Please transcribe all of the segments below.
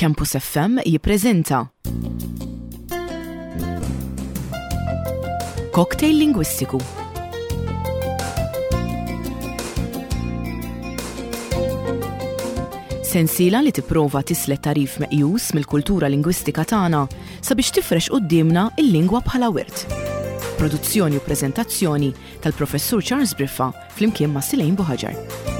Campus FM jippreżenta Cocktail Lingwistiku. Sensiela li tipprova tislet tagħrif meqjus mill-kultura lingwistika tagħna sabiex tifrex quddiemna il-lingwa bħala wirt. Produzzjoni u preżentazzjoni tal-Professur Charles Briffa flimkien ma' Silejn Buħaġar.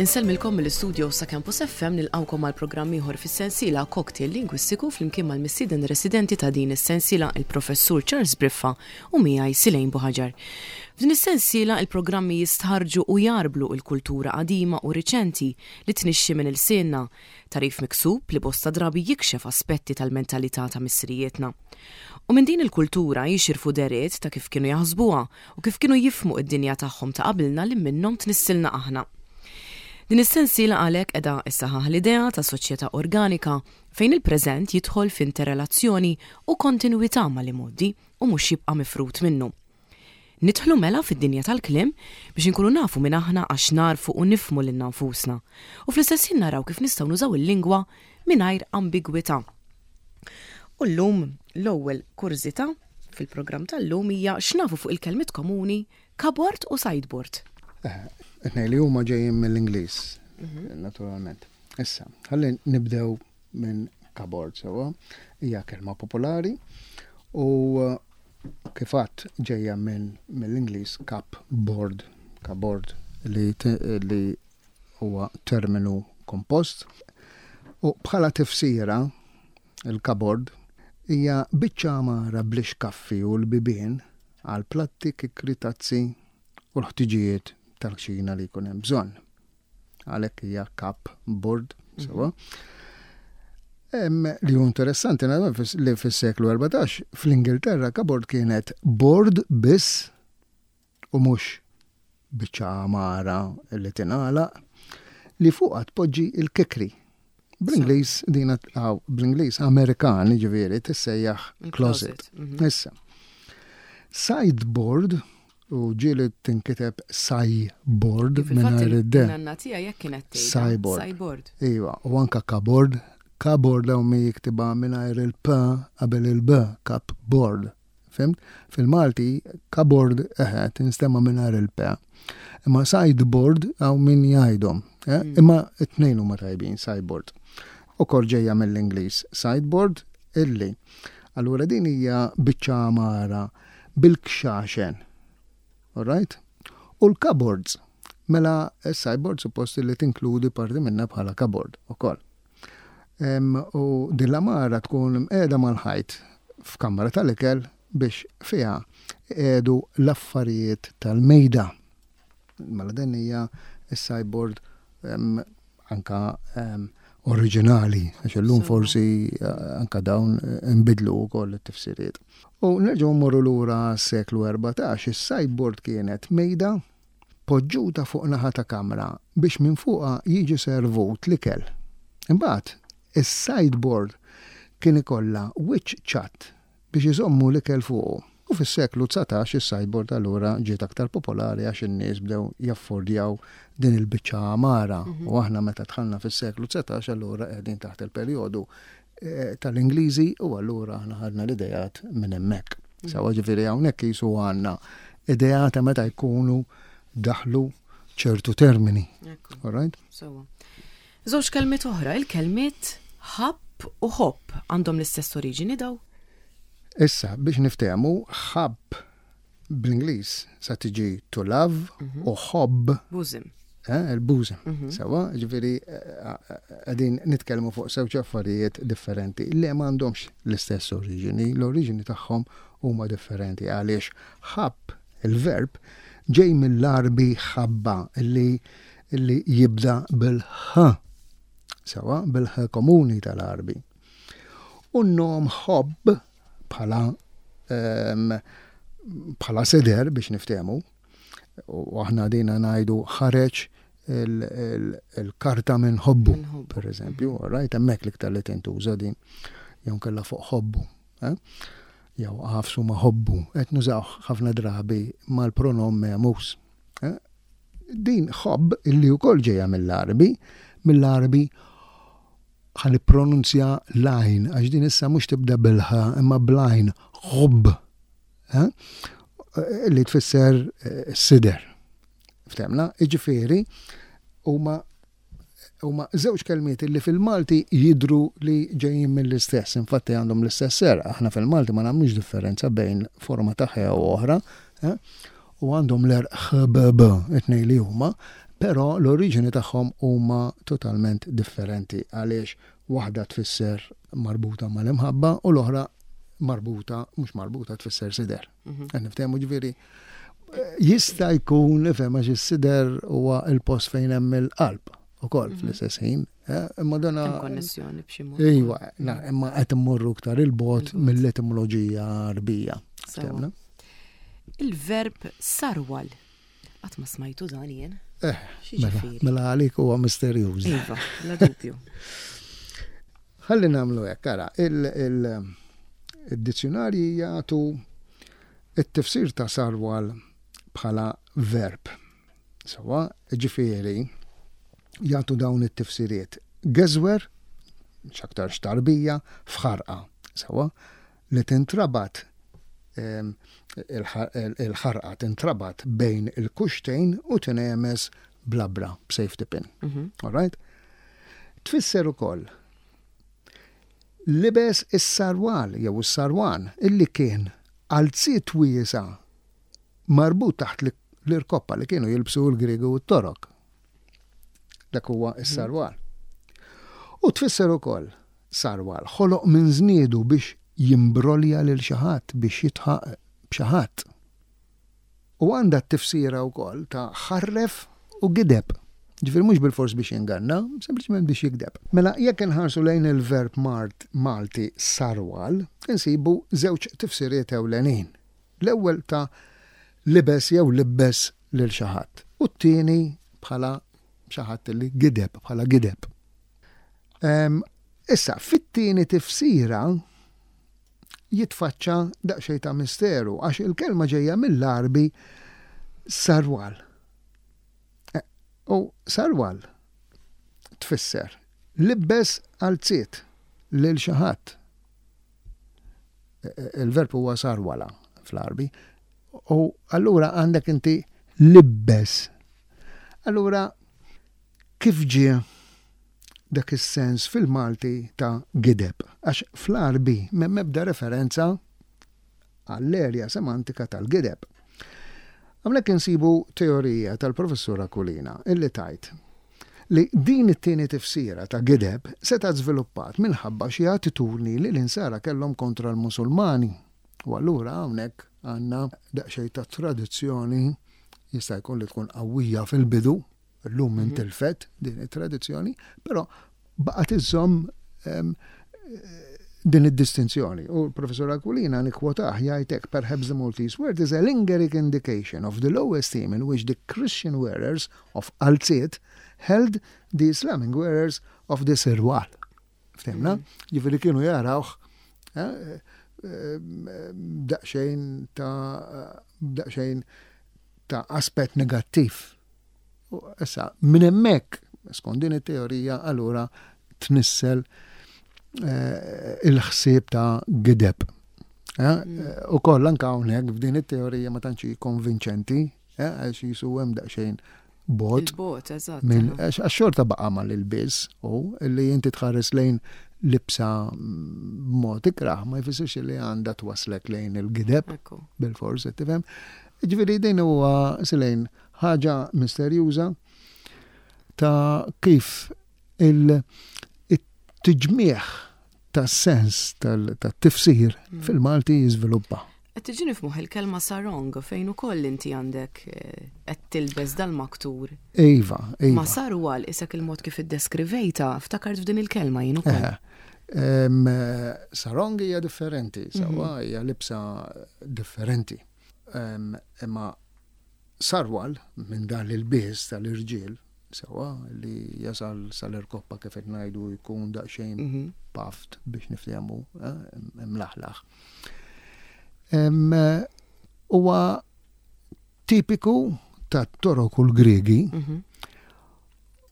Insellmilkom mill-istudio sa Campus FM nilqawkom għal programm ieħor fis-sensiela Cocktail Lingwistiku flimkien mal-mistieden residenti ta' din is-sensiela il-Professur Charles Briffa u miegħi Silejn Buħaġar. F'din is-sensiela il-programmi jistħarrġu u jgħarblu l-kultura qadima u riċenti li tnixxi minn ilsienna, tagħrif miksub li bosta drabi jikxef aspetti tal-mentalità ta' missirijietna. U minn din il-kultura jixirfu dehriet ta' kif kienu jaħsbuha u kif kienu jifhmu d-dinja tagħhom ta' qabilna li minnhom tnissilna aħna. Din is-sensiela għalhekk qiegħda ssaħħaħ l-idea ta' soċjetà organika fejn il-preżent jidħol f'interrelazzjoni u kontinwità mal-imgħoddi u mhux jibqa' mifrud minnu. Nidħlu mela fid-dinja tal-kliem biex inkunu nafu min aħna għax nagħrfu u nifhmu lilna nfusna u fl-istess ħin naraw kif nistgħu nużaw il-lingwa mingħajr ambigwità. U llum l-ewwel kurżità fil-programm tal-lum hija x'nafu fuq il-kelmiet komuni cupboard u sideboard. It-tnejn li huma ġejjin mill-Ingliż, naturalment. Issa, ħalli nibdew minn cupboard sewwa, hija kelma popolari u kif għadt ġejja minn mill-Ingliż cupboard, cupboard li li huwa terminu kompost u bħala tifsira il-cupboard hija biċċa għamara bl-ixkaffi u l-bibien għal platti, kikri, tazzi u l-ħtiġijiet tal-kċina li jkun hemm bżonn. Għalhekk hija cupboard, sewwa. Li hu interessanti li fis-seklu 14 fl-Ingilterra cupboard kienet board biss u mhux biċċa għamara li tingħalaq, li fuqha tpoġġi l-kikri. Bl-Ingliż din bl-Ingliż Amerikan jiġifieri tissejjaħ closet. Issa. Sideboard u ġieli tinkiteb sajboard mingħajr id-d. Nanna tiegħi hekk kienet tgħid. Sajboard. Iva, u anka cupboard. Cupboard hawn min jiktibha mingħajr il-p qabel il-b, cupboard. Fhimt? Fil-Malti, cupboard, eħe, tinstema' mingħajr il-p. Imma sideboard hawn min jgħidhom. Eh? Mm. Imma it-tnejn huma tajbin, sideboard. Ukoll ġejja mill-Ingliż, sideboard illi. Allura din hija biċċa għamara bil-kxaxen. Alright? U l-cupboards. Mela s-sideboard suppost li tinkludi parti minna bħala cupboard ukoll. U din l-għamara tkun mqiegħda mal-ħajt f'kamra tal-ikel biex fiha jqiegħdu l-affarijiet tal-mejda. Mela din hija s-sideboard anka oriġinali, għax illum forsi eh, anka dawn eh, nbidlu wkoll it-tifsiriet. U nerġgħu mmorru lura s-seklu 14, is-sideboard kienet mejda poġġuta fuq naħa ta' kamra biex minn fuqha jiġi servut l-ikel. Imbagħad, is-sideboard kien ikollha wiċċ ċatt biex iżommu l-ikel fuqu. U fis-seklu 19 is-sideboard allura ġiet aktar popolari għax in-nies bdew jaffordjaw din il-biċċa għamara. U aħna meta dħalna fis-seklu 19 allura qegħdin taħt il-perjodu tal-Ingliżi u allura aħna ħadna l-ideat minn hemmhekk. Sawa ġifieri hawnhekk qisu għandna idea ta' meta jkunu daħlu ċertu termini. All right? Sawa. Żewġ kelmiet oħra, il-kelmiet ħabb u ħobb għandhom l-istess oriġini daw? Issa, biex niftehmu, ħabb bl-Ingliż sa tiġi to love mhm. u ħobb. Bosom. Eh, il-bosom. Mhm. Sawa, ġifieri eh, qegħdin nitkellmu fuq żewġ affarijiet differenti li m'għandhomx l-istess oriġini, l-oriġini tagħhom huma differenti għaliex ħabb il-verb ġej mill-Għarbi ħabba li li jibda bil-ħ. Sawa, bil-ħ komuni tal-Għarbi. U n-nom ħobb bħala ehm, bħala seder biex niftehmu. U aħna dina ngħidu ħareġ il-karta minn ħobbu, per eżempju, right, hemmhekk l-iktar li tintuża din, jew kella fuq ħobbu. Eh? Jew għafsu ma ħobbu, qed nużaw ħafna drabi mal-pronom memus. Eh? Din ħobb illi wkoll ġejja mill-Arbi, mill-Arbi ħa nippronunzja l-għajn, għax din issa mhux tibda bil-ħ imma bl-għajn, ħobb. Eh? Li tfisser eh, sider. Ftemna, iġifieri huma huma żewġ kelmiet li fil-Malti jidru li ġejjin mill-istess, infatti għandhom l-istess ser, aħna fil-Malti ma nagħmlux differenza bejn forma ta' ħe u oħra, eh? u għandhom l-erq ħbb it-tnejn li huma, però l-oriġini tagħhom huma totalment differenti għaliex waħda tfisser marbuta mal-imħabba u l-oħra marbuta, mhux marbuta tfisser sider. Mhm. Qed niftehmu ġifieri jista' jkun ifhem għax is-sider huwa l-post fejn hemm il-qalb ukoll mhm. fl-istess ħin. Eh, imma dana. Konnessjoni b'xi mod. Iva, imma qed immorru iktar il-bot mill-etimoloġija Arbija. Il-verb sarwal. Qatt ma smajtu dan jien. Eh, mela, mela għalik huwa misterjuż. Iva, bla dubju. Ħalli nagħmlu hekk, ara, il-dizzjonarji jagħtu it-tifsir ta' sarwal bħala verb. Sawa, ġifieri jagħtu dawn it-tifsiriet. Geżwer, x'aktarx tarbija, f'ħarqa. Sawa, li tintrabat il-ħarqa tintrabat bejn il-kuxtejn u tinehmeż b'labra, b'safety pin. Mhm. All right? Tfisser ukoll libes is-sarwal jew is-sarwan illi kien qalziet wiesa' marbut taħt l-irkoppa li kienu jilbsu l-Griegi u t-Torok. Dak huwa s-sarwal. U tfisser ukoll sarwal ħoloq minn żniedu biex jimbrolja lil xi ħadd, biex jidħaq b'xi ħadd. U għandha t-tifsira wkoll ta' ħarref u gideb. Ġifieri mhux bilfors biex jinganna, sempliċement biex jigdeb. Mela jekk inħarsu lejn il-verb Malti sarwal, insibu żewġ tifsiriet ewlenin. L-ewwel ta' libes jew libbes lil xi ħadd u t-tieni bħala xi ħadd li gideb, bħala gideb. Issa, fit-tieni tifsira jitfaċċa daqsxejn ta' misteru għax il-kelma ġejja mill-Għarbi sarwal. E, u sarwal tfisser libbes qalziet lil xi ħadd. Il-verb huwa sarwala fl-Għarbi. U allura għandek inti libbes. Allura kif ġie dak is-sens fil-Malti ta' gideb? Għax fl-Għarbi m'hemm ebda referenza għall-erja semantika tal-gideb. Hawnhekk insibu teorija tal-Professur Aquilina illi tgħid li din it-tieni tifsira ta' gideb setgħet żviluppat minħabba xi attitudni li l-Insara kellhom kontra l-Musulmani. U allura hawnhekk għandna daqsxejn ta' tradizzjoni jista' jkun li tkun qawwija fil-bidu, Illum mhm. intilfet din it-tradizzjoni, però baqgħet iżżomm ehm, din id-distinzjoni. U l-professor Aquilina nikkwotah jgħid hekk perhaps the Maltese word is a lingering indication of the low esteem in which the Christian wearers of qalziet held the Islamic wearers of the sirwal. Ftemna? Mhm. Ġifieri kienu jarawh eh, eh, daqsxejn ta' daqsxejn ta' aspett negattiv U issa, minn hemmhekk, skont din it-teorija, allura tnissel eh, il-ħsieb ta' gideb. Eh, mm. U koll anka hawnhekk f'din it-teorija ma tantx konvinċenti, eh, għax jisu hemm daqsxejn bot. Bot, eżatt. Għax xorta baqa' mal-ilbies u li inti tħares lejn libsa b'mod ikrah ma jfissirx li għandha twaslek lejn il-gideb bil-fors, tifhem. Ġifieri din huwa silejn ħaġa misterjuża ta' kif il-tiġmigħ tas-sens tat-tifsir mm. fil-Malti jiżviluppa. Qed tiġini f'moħħi l-kelma sarong fejn ukoll inti għandek eh, qed tilbes dal-maktur. Iva, iva. Ma sarwal isek il-mod kif iddeskrivejta, ftakart f'din il-kelma jien ukoll. Eh, sarong hija differenti, sawa mhm. hija libsa differenti. Imma. Sarwal minn dan l-ilbies tal-irġiel, sewwa, li jasal sal-irkoppa kif qed ngħidu jkun daqsxejn mhm. puffed biex niftehmu, eh, imlaħlaħ. Huwa tipiku tat-Torok u l-Griegi. Mhm.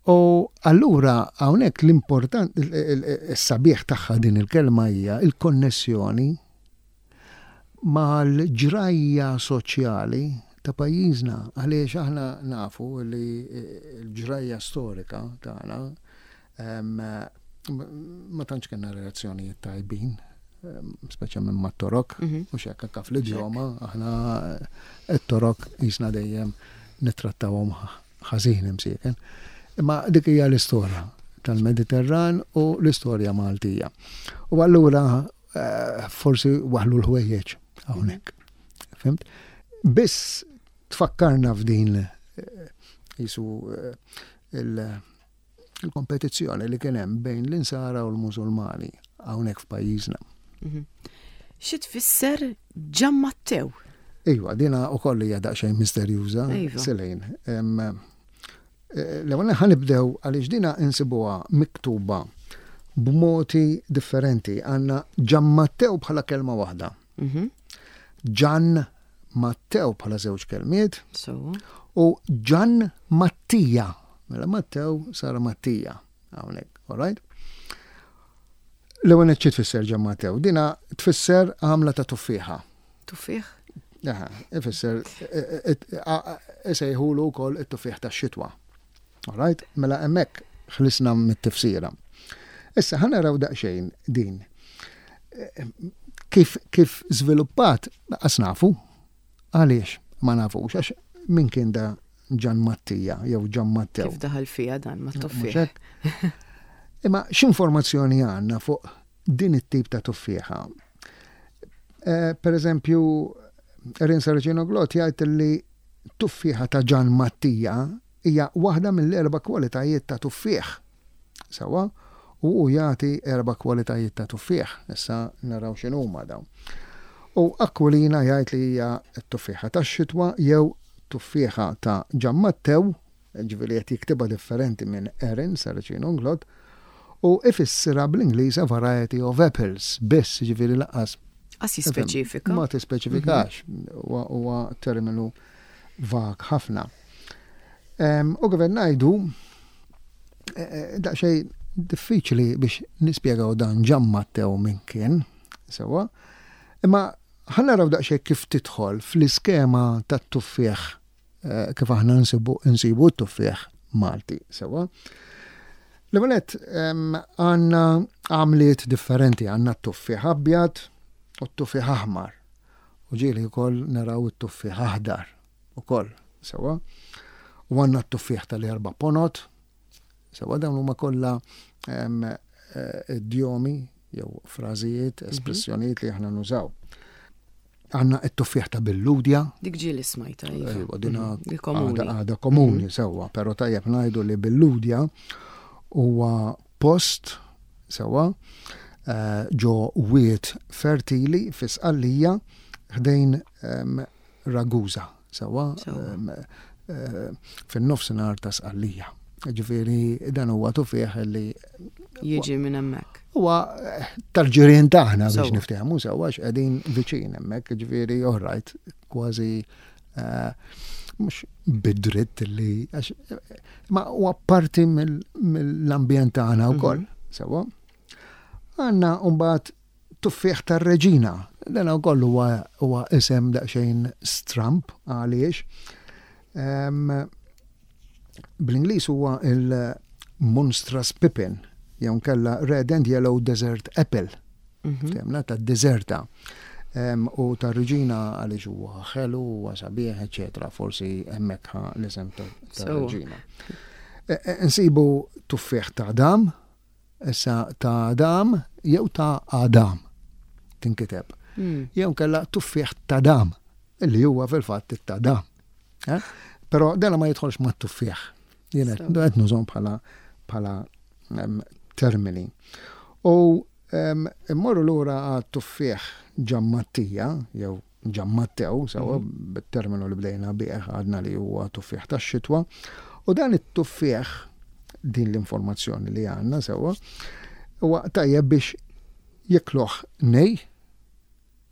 U allura hawnhekk l-important is-sabiħ tagħha din il-kelma hija il-konnessjoni mal-ġrajja soċjali ta' pajjiżna għaliex aħna nafu li l-ġrajja storika tagħna ma tantx kellna relazzjonijiet tajbin, speċjalment mat-Torok, mhm. mhux hekk anke fl-idjoma aħna t-Torok qisna dejjem nittrattawhom ħażin imsieken. Imma dik hija l-istorja tal-Mediterran u l-istorja Maltija. U allura eh, forsi waħlu l-ħwejjeġ hawnhekk. Fimt? Biss tfakkarna f'din eh, jisu eh, il-kompetizzjoni li kien hemm bejn l-insara u l-Musulmani hawnhekk f'pajjiżna. Mhm. Xi tfisser Ġammattew? Iva, dina ukoll hija daqsxejn misterjuża, iva. Selejn. Eh, l-ewwel ħa nibdew għaliex dina insibuha miktuba b'modi differenti. Għandna Ġammattew bħala kelma waħda. Mhm. Ġan Mattew bħala żewġ kelmiet. U Ġan Mattija. Mela Mattew sara Mattija. Hawnhekk, all right? L-ewwel xi tfisser Ġan Mattew? Dina tfisser għamla ta' tuffieħa. Tuffieħ? Aha, ifisser isejħulu wkoll it-tuffieħ tax-xitwa. All right? Mela hemmhekk ħlisna mit-tifsira. Issa ħa naraw daqsxejn din. Kif kif żviluppat qas nafu. Għaliex ma nafux għax min kien da Ġan Mattija jew Ġan Mattew. Kif daħal fiha dan ma tuffieħ. Imma x'informazzjoni għandna fuq din it-tip ta' tuffieħa? Eh, per eżempju, Erin Saracino Glot jgħid li tuffieħa ta' Ġan Mattija hija waħda mill-erba' kwalitajiet ta' tuffieħ. Sewwa? U hu jagħti erba' kwalitajiet ta' tuffieħ. Issa naraw x'inhuma dawn. U Aquilina jgħid li hija t-tuffieħa tax-xitwa jew tuffieħa ta' Ġan Mattew, ġifieri qed jiktibha differenti minn Erin Saracino Unglot, u ifissirha bl-Ingliż a variety of apples biss, ġifieri lanqas Qas jispeċifika. Ma tispeċifikax, huwa terminu vag ħafna. U kif qed ngħidu, eh, eh, daqsxejn diffiċli biex nispjegaw dan Ġan Mattew minn kien, sewwa. Imma ħa naraw daqsxejn kif tidħol fl-iskema tat-tuffieħ eh, kif aħna nsibu nsibu t-tuffieħ Malti, sewwa. L-ewwel għandna għamliet differenti, għandna t-tuffieħ abjad u t-tuffieħ aħmar. U ġieli wkoll naraw it-tuffieħ aħdar. Ukoll, sewwa. U għandna t-tuffieħ tal-erba' ponot, sewwa dawn huma kollha eh, idjomi jew frażijiet, mhm. espressjonijiet li aħna nużaw. Għanna it-tuffieħ ta' billudja. Dik ġieli smajta. Iva. Iva, dina mhm, komuni. Għada komuni, mhm. sewwa, pero tajjeb ngħidu li billudja huwa post sewwa eh, ġo wiet fertili fi Sqallija ħdejn Ragusa, sewwa, eh, fin-nofsinhar ta' Sqallija. Ġifieri dan huwa tufieħ li jiġi minn hemmhekk. Huwa eh, tal-ġirien tagħna biex niftehmu sewwa x'qegħdin viċin hemmhekk, ġifieri oħrajt kważi eh, mhux bidritt li ma huwa parti mill-ambjent tagħna wkoll, mhm. sewwa. Għandna mbagħad Tuffieħ tar-Reġina. Dan ukoll huwa huwa isem daqsxejn stramb għaliex. Bl-Ingliż huwa il-Monstrous Pippin jew nkella Red and Yellow Desert Apple. Mhm. Temna ta' deserta. U ta' reġina għaliex huwa ħelu, huwa sabiħ, eċetera. Forsi hemmhekk l-isem ta' reġina. E, e, nsibu tuffieħ ta' dam, Issa ta' Adam jew ta' Adam tinkiteb. Hmm. Jew kella tuffieħ ta' dam, illi huwa fil-fatt ta' dam. Eh? Però dela ma jidħolx ma' tuffieħ. Jien qed nużhom bħala bħala termini. U immorru lura għat tuffieħ ġammattija jew Ġammattew, sewwa mhm. bit-terminu li bdejna bih għadna li huwa tuffieħ tax-xitwa. U dan it-tuffieħ din l-informazzjoni li għandna sewwa huwa tajjeb biex jikluh nej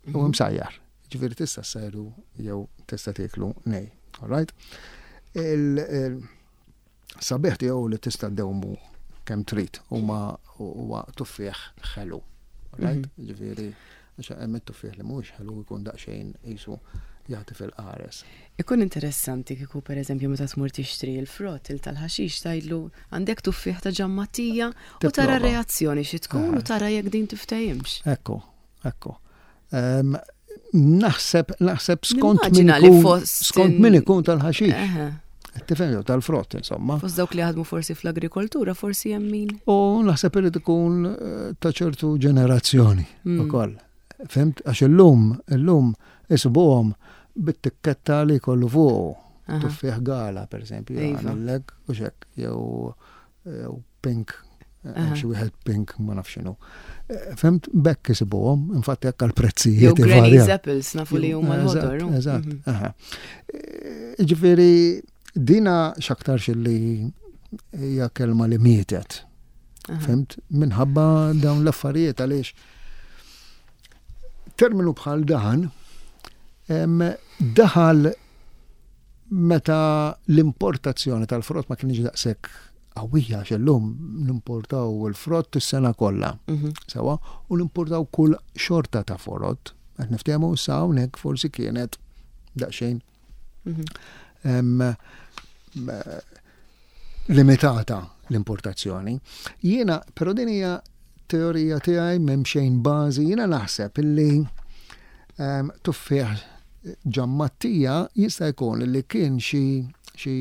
u mhm. msajjar. Ġifieri tista' ssajru jew tista' tieklu nej. All right? Sabiħ tiegħu li tista' ddewmu kemm trid huma huwa tuffieħ ħelu. Right? Mhm. Ġifieri għax hemm it-tuffieħ li mhuwiex ħelu jkun daqsxejn qisu jagħti fil-qares. Ikun interessanti kieku pereżempju meta tmur tixtri l-frott il tal-ħaxix tgħidlu għandek tuffieħ ta' ġammatija u tara reazzjoni xi tkun u eh. tara jekk din tiftehimx. Ekku, Ekku. Naħseb, naħseb skont min ikun, skont min ikun tal-ħaxix. Tifhem jew tal-frott, insomma. Fost dawk li jaħdmu forsi fl-agrikoltura, forsi hemm min. U naħseb irid ikun eh, ta' ċertu ġenerazzjoni mm. ukoll. Fimt? Għax illum, illum isibuhom bit-tikketta li jkollu fuqu. Tuffieħ gala, per esempio, iva. għamillek u xek, jew jew pink, hemm xi wieħed pink ma nafx x'inhu. Eh, fimt, bekk isibuhom, infatti hekk għall-prezzijiet. Jew Granny's Apples nafu li huma l-ħodor. Eżatt, mhm. eh, Ġifieri dina x'aktarx li hija kelma li mietet. Fimt, minħabba dawn l-affarijiet għaliex terminu bħal dan daħal meta l-importazzjoni tal-frott ma kienx daqshekk qawwija għax illum nimportaw il-frott is-sena kollha. Mhm. Sewa, u nimportaw kull xorta ta' forott. Qed niftehmu sa hawnhekk forsi kienet daqsxejn mhm. limitata l-importazzjoni. Jiena, però din hija teorija tiegħi m'hemm xejn bażi, jiena naħseb illi ehm, tuffieħ ġammattija jista' jkun li kien xi xi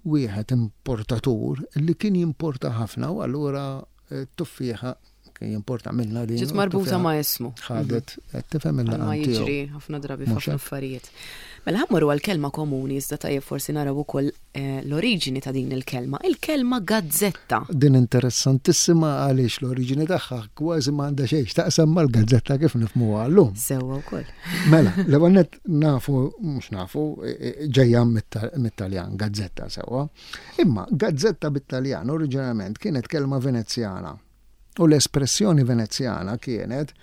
wieħed importatur li kien jimporta ħafna u allura eh, tuffieħa kien jimporta minna din. Ġiet marbuta ma' ismu. Ħadet, qed tifhem il Ma jiġri ħafna drabi f'ħafna affarijiet. Mela ħammorru għal kelma komuni iżda tajjeb forsi naraw ukoll eh, l-oriġini ta' din il-kelma, il-kelma gazzetta. Din interessantissima għaliex l-oriġini tagħha kważi m'għandha xejn x'taqsam mal-gazzetta kif nifhmuha llum. Sewwa wkoll. Mela, l-ewwel nett nafu, mhux nafu, e, e, ġejja mit-Taljan, gazzetta sewwa. Imma gazzetta bit-Taljan oriġinarjament kienet kelma Venezjana. U l-espressjoni Venezjana kienet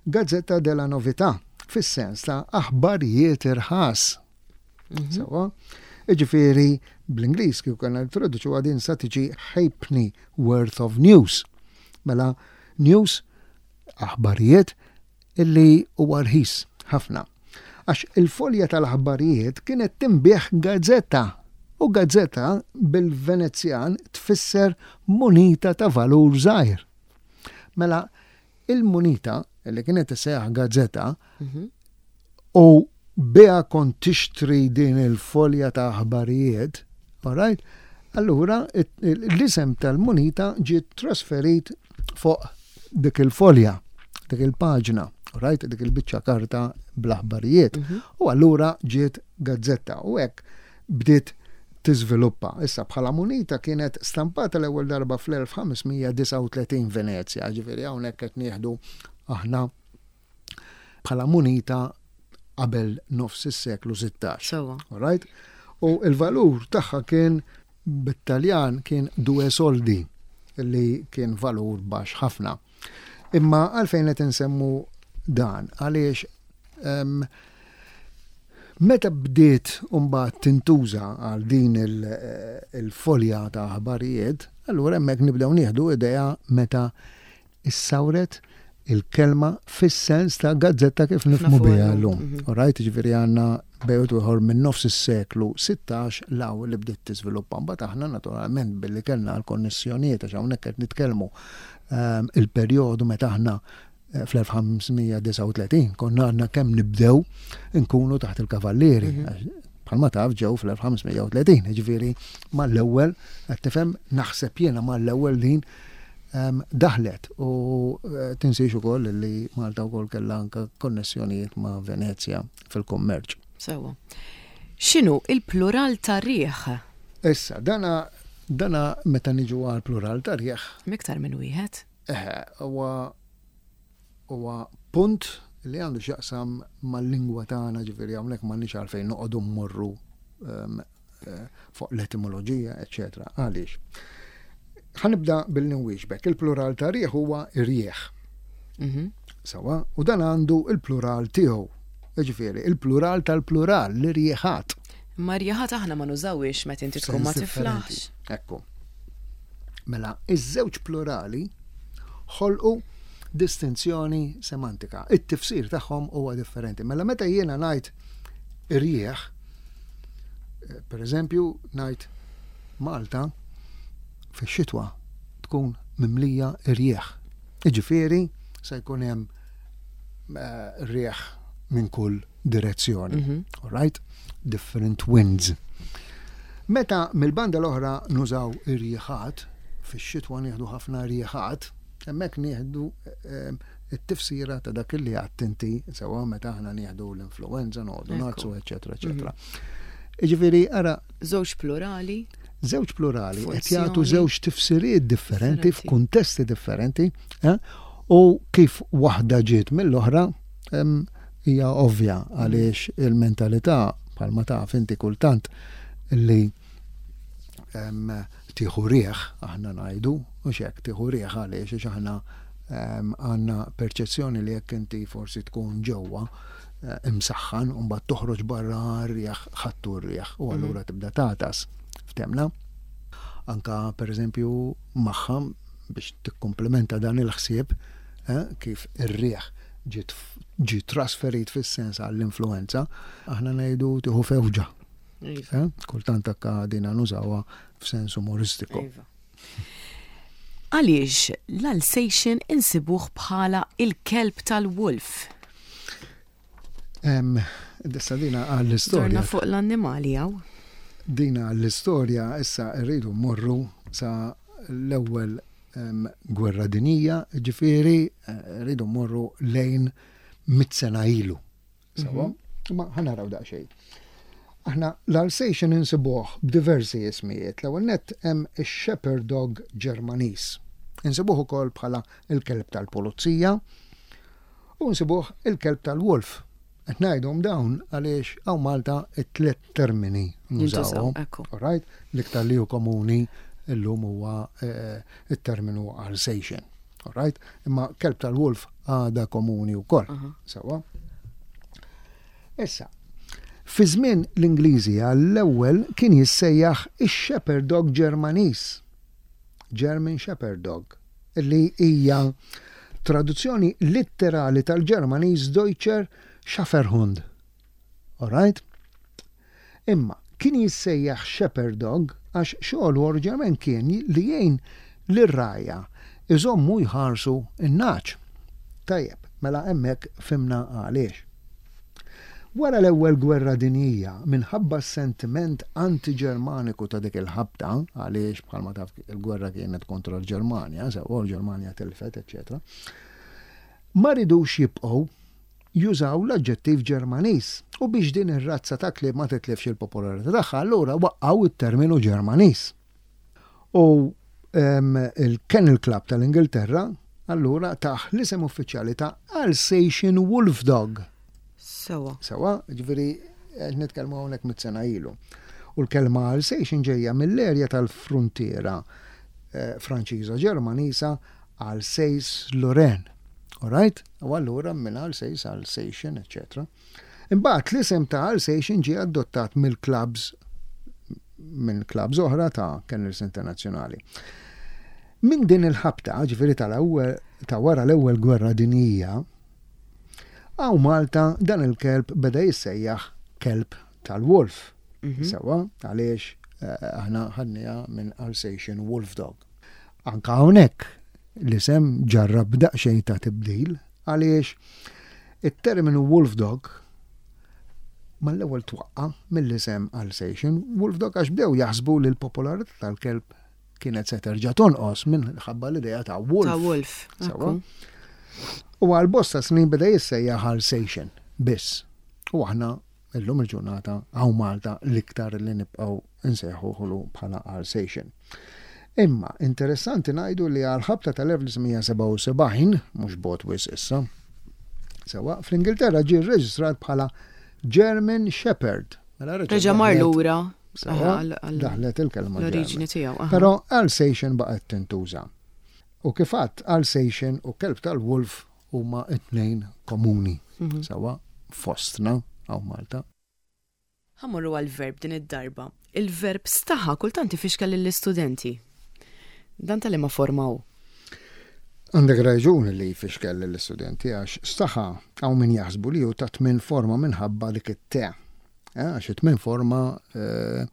Gazzetta della Novità, fis-sens ta' aħbarijiet irħas. Mhm. Sewwa? Iġifieri bl-Ingliż kieku kellna nittraduċuha din sa tiġi halfpenny worth of news. Mela news aħbarijiet illi huwa rħis ħafna. Għax il-folja tal-aħbarijiet kienet tinbiegħ gazzetta u gazzetta bil-Venezjan tfisser munita ta' valur żgħir. Mela il-munita li kienet tissejjaħ gazzetta mhm. u biha kont tixtri din il-folja ta' aħbarijiet, alright? Allura l-isem tal-munita ġiet trasferit fuq dik il-folja, dik il-paġna, right, dik il-biċċa karta bl-aħbarijiet. Mhm. U allura ġiet gazzetta u hekk bdiet tiżviluppa. Issa bħala munita kienet stampata l-ewwel darba fl-1539 Venezja, ġifieri hawnhekk qed nieħdu aħna bħala munita qabel nofs is-seklu 16. Sewwa. All right? U il-valur tagħha kien bit-Taljan kien due soldi li kien valur baxx ħafna. Imma għalfejn qed insemmu dan? Għaliex um, meta bdiet mbagħad tintuża għal din il-folja ta' aħbarijiet, allura hemmhekk nibdew nieħdu idea meta issawret il-kelma fis-sens ta' gazzetta kif nifhmu biha llum. Mhm. Alright, ġifieri għandna bejn ieħor minn nofs is-seklu 16 law li bdiet tiżviluppa. Mbagħad aħna naturalment billi kellna l-konnessjonijiet għax hawnhekk qed nitkellmu ehm, il-perjodu meta aħna eh, fl-1539 konna għandna kemm nibdew nkunu taħt il-kavallieri. Mhm. Bħalma taf ġew fl-1530, ġifieri mal-ewwel qed tifhem naħseb jiena mal-ewwel din daħlet u eh, tinsiex ukoll li Malta wkoll kellha anke konnessjonijiet ma' Venezja fil-kummerċ. Sewwa. X'inhu il-plural ta' riħ? Issa, dana dana meta niġu għal plural ta' riħ. Miktar minn wieħed. Eħe, huwa huwa punt li għandu x'jaqsam mal-lingwa tagħna ġifieri hawnhekk m'għandniex għalfejn noqogħdu mmorru ehm, eh, fuq l-etimoloġija, eċetera. Għaliex? Ħanibda billi nwieġbek. Il-plural ta' rieħ huwa irjieħ. Mhm. Sawa, u dan għandu il-plural tiegħu. Ġifieri, il-plural tal-plural, l-irjieħat. Ma rjieħat aħna ma nużawiex meta inti tkun ma tiflaħx. Ekku. Mela, iż-żewġ plurali ħolqu distinzjoni semantika. It-tifsir tagħhom huwa differenti. Mela meta jiena ngħid irjieħ, eh, per eżempju, ngħid Malta fix-xitwa tkun mimlija irjieħ. Iġifieri se jkun hemm eh, rieħ minn kull direzzjoni. Mm -hmm. All right? Different winds. Meta mill-banda l-oħra nużaw irjieħat, fix-xitwa nieħdu ħafna rjieħat, hemmhekk nieħdu eh, it-tifsira ta' dak li għadt inti sewa meta aħna nieħdu l-influenza, noqogħdu nagħtsu, eċetera, eċetera. Mhm. Jiġifieri ara żewġ plurali. Żewġ plurali qed jagħtu żewġ tifsiriet differenti f'kuntesti differenti, eh, u kif waħda ġiet mill-oħra hija ovvja għaliex il-mentalità bħalma taf inti kultant li tieħu rieħ aħna ngħidu, u xek tieħu rieħ għaliex għax aħna għandna perċezzjoni li jekk inti forsi tkun ġewwa eh, imsaħħan u mbagħad toħroġ barra rieħ ħattu r-rieħ u mhm. allura tibda tatas. Ftemna? Anka pereżempju magħha biex tikkumplementa dan il-ħsieb eh, kif ir-rieħ ġi trasferit fis-sens għall-influenza, aħna ngħidu tieħu fewġa. Iva. Eh? Kultant akka dina nużawha f'sens umoristiku. Iva. Għaliex l-Alsatian insibuh bħala il-kelb tal-wolf? Dissa dina għall-istorja. Dorna fuq l-annimali għaw. Dina għall-istorja issa rridu morru sa l-ewwel gwerra dinija, ġifieri eh, rridu morru lejn mit sena ilu. Sawa? Mhm. Ma ħanaraw daqsxejn. Aħna l-Alsatian insibuh b'diversi ismijiet. L-ewwel nett hemm ix-Shepherd Dog Ġermaniż. Insibuh ukoll bħala il-kelb tal-pulizija u nsibuh il-kelb tal-wolf. Qed ngħidhom dawn għaliex hawn Malta it-tliet termini nużawhom. Alright? L-iktar li hu komuni illum huwa eh, it-terminu Alsatian. Alright? Imma kelb tal-wolf għada komuni wkoll. Sewa. Issa, fi żmien l-Ingliżi għall-ewwel kien jissejjaħ ix-Shepherd Dog Ġermaniż. German Shepherd Dog, li hija traduzzjoni litterali tal-Ġermaniż Deutscher Schäferhund. Alright? Imma kien jissejjaħ shepherd dog għax xogħlu oriġinarjament kien li jgħin lir-rgħajja jżommu u jħarsu n-nagħaġ. Tajjeb, mela hemmhekk fhimna għaliex. Wara l-Ewwel Gwerra Dinjija, minħabba s-sentiment anti-Ġermaniku ta' dik il-ħabta, għaliex bħalma taf il-gwerra kienet kontra l-Ġermanja, sewwa l-Ġermanja tilfet, eċċetera, ma ridux jibqgħu jużaw l-aġġettiv Ġermaniż u biex din ir-razza ta' klieb ma titlifx il-popolarità tagħha allura waqqgħu t-terminu Ġermaniż. U il-Kennel Club tal-Ingilterra allura tah l-isem uffiċjali ta' Alsatian Wolf Dog. Sewa. Sewa, ġifieri qed nitkellmu hawnhekk mit-sena ilu. U l-kelma Alsatian ġejja mill-erja tal-fruntiera eh, Franċiża Ġermaniża Alsace-Lorraine. Alright? U allura minn Alsace, Alsatian, eċċetera. Imbagħad l-isem ta' Alsatian ġie adottat mill-clubs minn clubs oħra ta' kennels internazzjonali. Minn din il-ħabta, ġifieri tal-ewwel ta' wara l-ewwel gwerra dinjija, hawn Malta dan il-kelb beda jissejjaħ kelb tal-wolf. Mhm. Sewa, għaliex eh, aħna ħadniha minn Alsatian Wolf Dog. Anka hawnhekk l-isem ġarrab daqsxejn ta' tibdil għaliex it-terminu wolf dog mal-ewwel twaqqa' mill-isem Alsatian wolf dog għax bdew jaħsbu li l-popolarità tal-kelb kienet se terġa' tonqos minħabba l-idea ta' wolf. Ta' wolf. Sewwa. U għal bosta snin beda jissejjaħ Alsatian biss. U aħna Illum il-ġurnata hawn Malta l-iktar li nibqgħu nsejħuhlu bħala Alsatian. Imma interessanti ngħidu li għall-ħabta tal-1977, mhux bogħod wisq issa, Sewa, fl-Ingilterra ġie rreġistrat bħala German Shepherd. Mela reġa' mar lura. Daħlet il-kelma. L-oriġini tiegħu. Però Alsatian baqgħet tintuża. U kif għadt Alsatian u kelb tal-wolf huma t-tnejn komuni. Mhm. Sewa, fostna hawn Malta. Ħa mmorru għall-verb din id-darba. Il-verb staħa kultant ifixkel lill-istudenti. Dan ta' liema forma hu? Għandek raġun li jfixkel lill-istudenti għax staħa hawn min jaħsbu li hu ta' tmien forma minħabba dik it-te. Eh, għax it-tmien forma eh,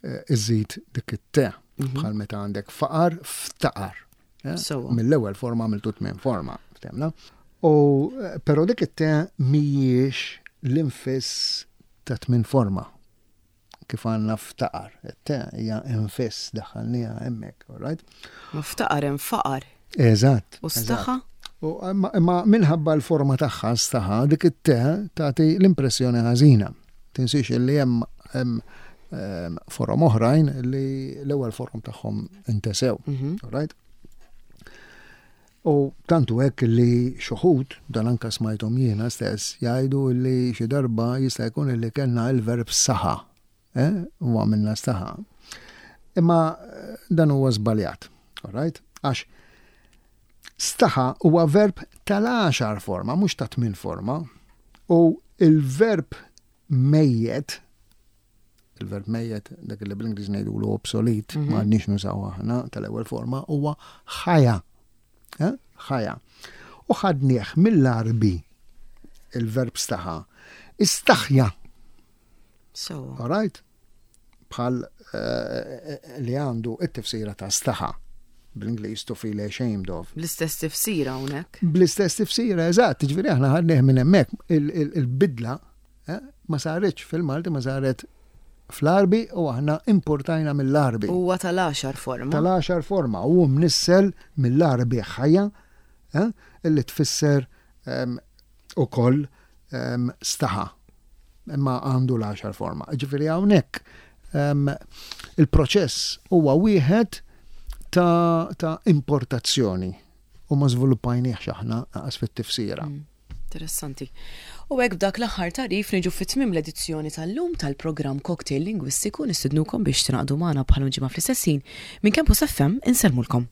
eh, iżid dik it-te. Mhm. Bħal meta għandek faqar, ftaqar. Eh? Mill-ewwel forma għamiltu tmien forma, ftemna. U eh, però dik it-te mhijiex l-infiss ta' tmien forma kif għandna ftaqar. It-te hija infiss daħħalniha hemmhekk, all right? Ma ftaqar hemm faqar. Eżatt. U staħa? U imma minħabba l-forma tagħha staħa dik it-te tagħti l-impressjoni ħażina. Tinsiex li hemm ehm, forom oħrajn li l-ewwel forom tagħhom intesew. Mhm. Right? U tantu hekk li xuħud, dan anka smajthom jiena stess, jgħidu li xi darba jista' jkun li kellna il-verb saħa, eh? u għamilna staħa. Imma eh, dan huwa żbaljat, all right? Għax staħa huwa verb tal-għaxar forma, mhux ta' tmien forma. U il-verb mejjet, il-verb mejjet, dak li bl-Ingliż ngħidulu obsolet, mm -hmm. ma għandniex nużaw aħna tal-ewwel forma, huwa ħaja. Eh? Ħaja. U ħadnieh mill-Arbi il-verb staħa. Istaħja. So. All right? Bħal eh, li għandu it-tifsira ta' staħa bl-Ingliż to feel ashamed of. Bl-istess tifsira hawnhekk. Bl-istess tifsira, eżatt, ġifieri aħna ħadnieh minn hemmhekk il-bidla eh, ma saritx fil-Malti ma saret fl-Arbi u aħna importajna mill-Arbi. Huwa tal-għaxar forma. Tal-għaxar forma u mnissel mill-Arbi ħajja eh, illi tfisser ehm, ukoll ehm, staħa imma għandu l-għaxar forma. Ġifieri hawnhekk ehm, il-proċess huwa wieħed ta', ta importazzjoni u ma żviluppajniex aħna naqas fit-tifsira. Mm. Interessanti. U hekk b'dak l-aħħar tagħrif niġu fi tmiem l-edizzjoni tal-lum tal-programm Cocktail Lingwistiku nistidnukom biex tingħaqdu magħna bħal ġimgħa fl-istess ħin minn Campus FM insellmulkom.